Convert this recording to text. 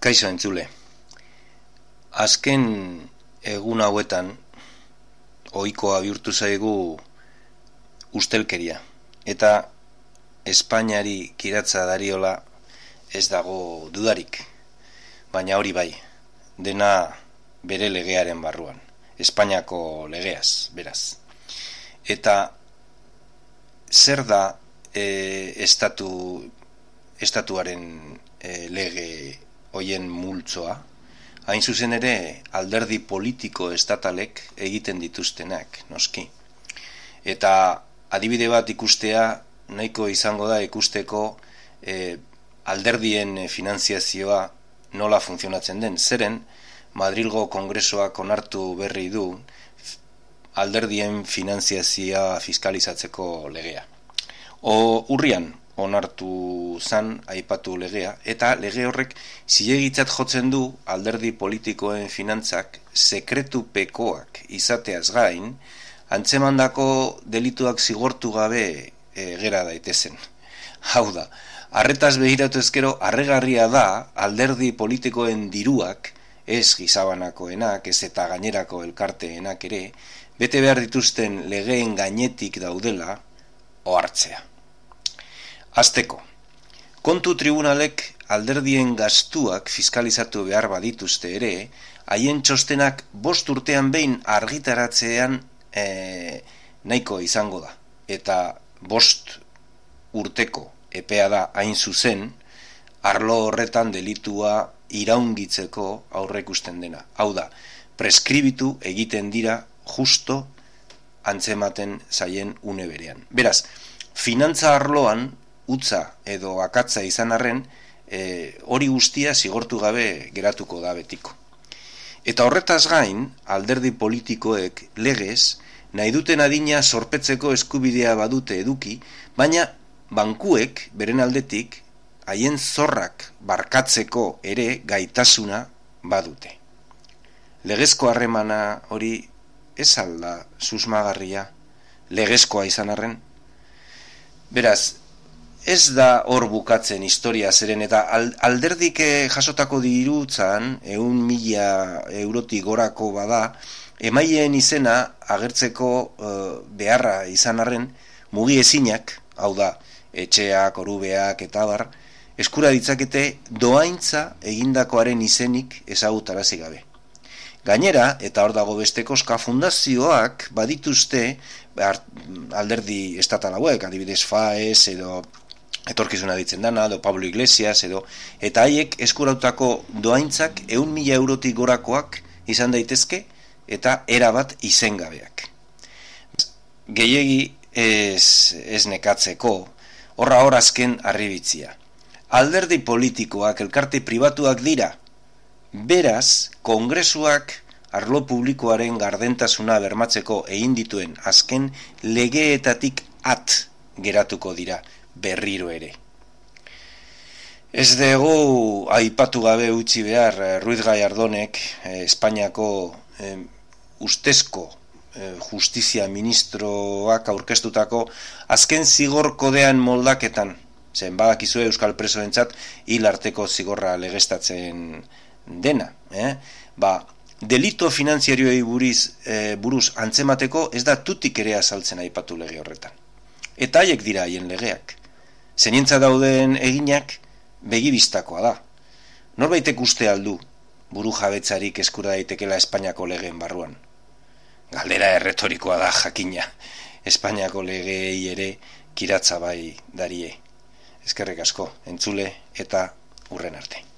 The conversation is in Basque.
Kaixo entzule, azken egun hauetan ohikoa bihurtu zaigu ustelkeria eta Espainiari kiratza dariola ez dago dudarik, baina hori bai, dena bere legearen barruan, Espainiako legeaz, beraz. Eta zer da estatuaren lege hoien multzoa? Hain zuzen ere alderdi politiko estatalek egiten dituztenak, noski. Eta adibide bat ikustea nahiko izango da ikusteko alderdien finanziazioa nola funtzionatzen den. Zeren Madrilgo Kongresoak onartu berri du alderdien finanziazioa fiskalizatzeko legea. Urrian onartu zan aipatu legea, eta lege horrek zilegitzat jotzen du alderdi politikoen finantzak sekretupekoak izateaz gain, antzemandako delituak zigortu gabe gera daitezen. Hau da, arretaz behiratu ezkero, harregarria da alderdi politikoen diruak, ez gizabanakoenak, ez eta gainerako elkarteenak ere, bete behar dituzten legeen gainetik daudela ohartzea. Azteko, kontu tribunalek alderdien gastuak fiskalizatu behar badituzte ere, haien txostenak 5 urtean behin argitaratzean nahiko izango da. Eta 5 urteko epea da hain zuzen, arlo horretan delitua iraungitzeko aurreikusten dena. Hau da, preskribitu egiten dira justo antzematen zaien une berean. Beraz, finantza arloan utza edo akatza izan arren, hori guztia zigortu gabe geratuko da betiko. Eta horretaz gain, alderdi politikoek legez, nahi duten adina zorpetzeko eskubidea badute eduki, baina bankuek, beren aldetik, haien zorrak barkatzeko ere gaitasuna badute. Legezko harremana hori ez alda susmagarria, legezkoa izan arren. Beraz, ez da hor bukatzen historia zeren, eta alderdik jasotako dirutzan, 100.000 eurotik gorako bada, emaileen izena agertzeko beharra izan arren, mugi ezinak, hau da, etxeak, orubeak eta bar, eskura ditzakete doaintza egindakoaren izenik ezagutarazi gabe. Gainera, eta hor dago beste koska, fundazioak badituzte alderdi estatal hauek, adibidez FAES edo etorkizuna ditzen dana, edo Pablo Iglesias edo, eta haiek eskurautako doaintzak 100.000 eurotik gorakoak izan daitezke eta erabat izengabeak. Gehiegi ez nekatzeko, horra hor azken harribitzia. Alderdi politikoak, elkarte pribatuak dira, beraz, kongresuak arlo publikoaren gardentasuna bermatzeko egin dituen azken legeetatik at geratuko dira berriro ere. Ez dugu aipatu gabe utzi behar Ruiz Gallardonek Espainiako ustezko justizia ministroak aurkeztutako azken zigor kodean moldaketan, zen badakizue euskal presoentzat hil arteko zigorra legeztatzen dena. Delito finanziarioei buruz antzemateko ez da tutik ere azaltzen aipatu lege horretan. Eta haiek dira haien legeak. Zenientza dauden eginak begibistakoa da. Norbaitek uste aldu buru jabetzarik eskura daitekela Espainiako legeen barruan. Galdera erretorikoa da jakina. Espainiako legeei ere kiratza bai darie. Eskerrik asko, entzule eta hurren arte.